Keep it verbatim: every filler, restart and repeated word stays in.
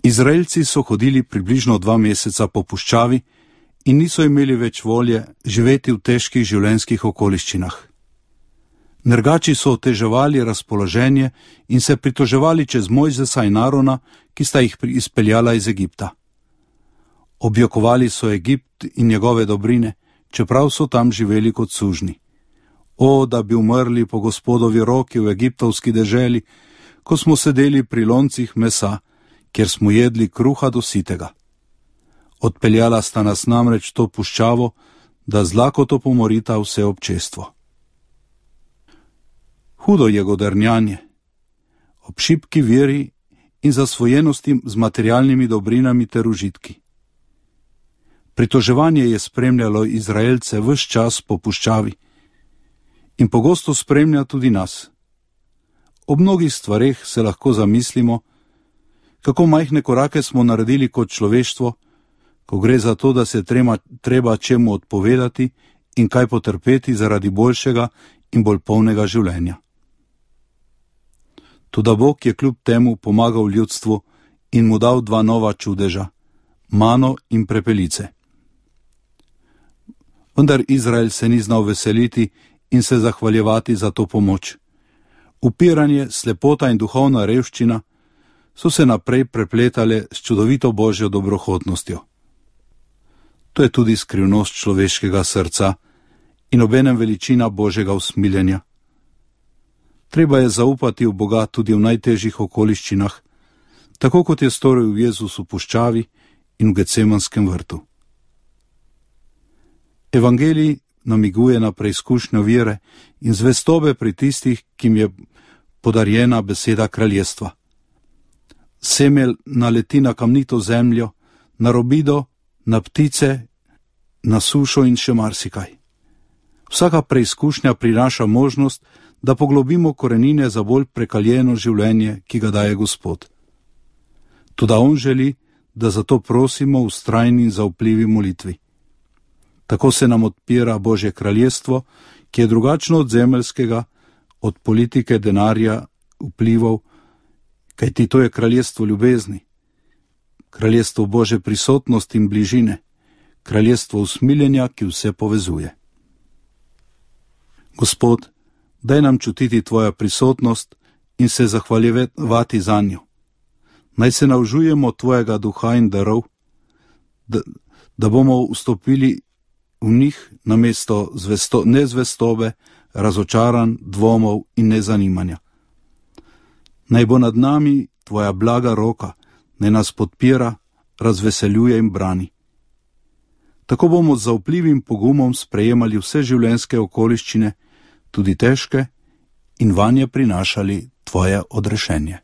Izraelci so hodili približno dva meseca po puščavi in niso imeli več volje živeti v težkih življenjskih okoliščinah. Nergači so oteževali razpoloženje in se pritoževali čez Mojzesa in Arona, ki sta jih izpeljala iz Egipta. Objokovali so Egipt in njegove dobrine, čeprav so tam živeli kot sužnji. O, da bi umrli po Gospodovi roki v egiptovski deželi, ko smo sedeli pri loncih mesa, kjer smo jedli kruha do sitega. Odpeljala sta nas namreč to puščavo, da z lakoto pomorita vse občestvo. Hudo je godrnjanje, ob šibki veri in zasvojenosti z materialnimi dobrinami ter užitki. Pritoževanje je spremljalo Izraelce ves čas po puščavi in pogosto spremlja tudi nas. O mnogih stvareh se lahko zamislimo, kako majhne korake smo naredili kot človeštvo, ko gre za to, da se treba, treba čemu odpovedati in kaj potrpeti zaradi boljšega in bolj polnega življenja. Toda Bog je kljub temu pomagal ljudstvu in mu dal dva nova čudeža, mano in prepelice. Vendar Izrael se ni znal veseliti in se zahvaljevati za to pomoč. Upiranje, slepota in duhovna revščina so se naprej prepletale s čudovito Božjo dobrohotnostjo. To je tudi skrivnost človeškega srca in obenem veličina Božjega usmiljenja. Treba je zaupati v Boga tudi v najtežjih okoliščinah, tako kot je storil Jezus v puščavi in v Getsemanskem vrtu. Evangelij namiguje na preizkušnjo vere in zvestobe pri tistih, ki jim je podarjena beseda kraljestva. Semelj naleti na kamnito zemljo, na robido, na ptice, na sušo in še marsikaj. Vsaka preizkušnja prinaša možnost, da poglobimo korenine za bolj prekaljeno življenje, ki ga daje Gospod. Toda On želi, da zato prosimo v vztrajni in zaupljivi molitvi. Tako se nam odpira Božje kraljestvo, ki je drugačno od zemeljskega, od politike, denarja, vplivov, kajti to je kraljestvo ljubezni, kraljestvo Božje prisotnosti in bližine, kraljestvo usmiljenja, ki vse povezuje. Gospod, daj nam čutiti Tvoja prisotnost in se zahvaljevati za njo. Naj se navžujemo Tvojega duha in darov, da, da bomo vstopili v njih namesto zvesto, nezvestobe, razočaranj, dvomov in nezanimanja. Naj bo nad nami Tvoja blaga roka, naj nas podpira, razveseljuje in brani. Tako bomo z zaupljivim pogumom sprejemali vse življenjske okoliščine, tudi težke, in vanje prinašali Tvoje odrešenje.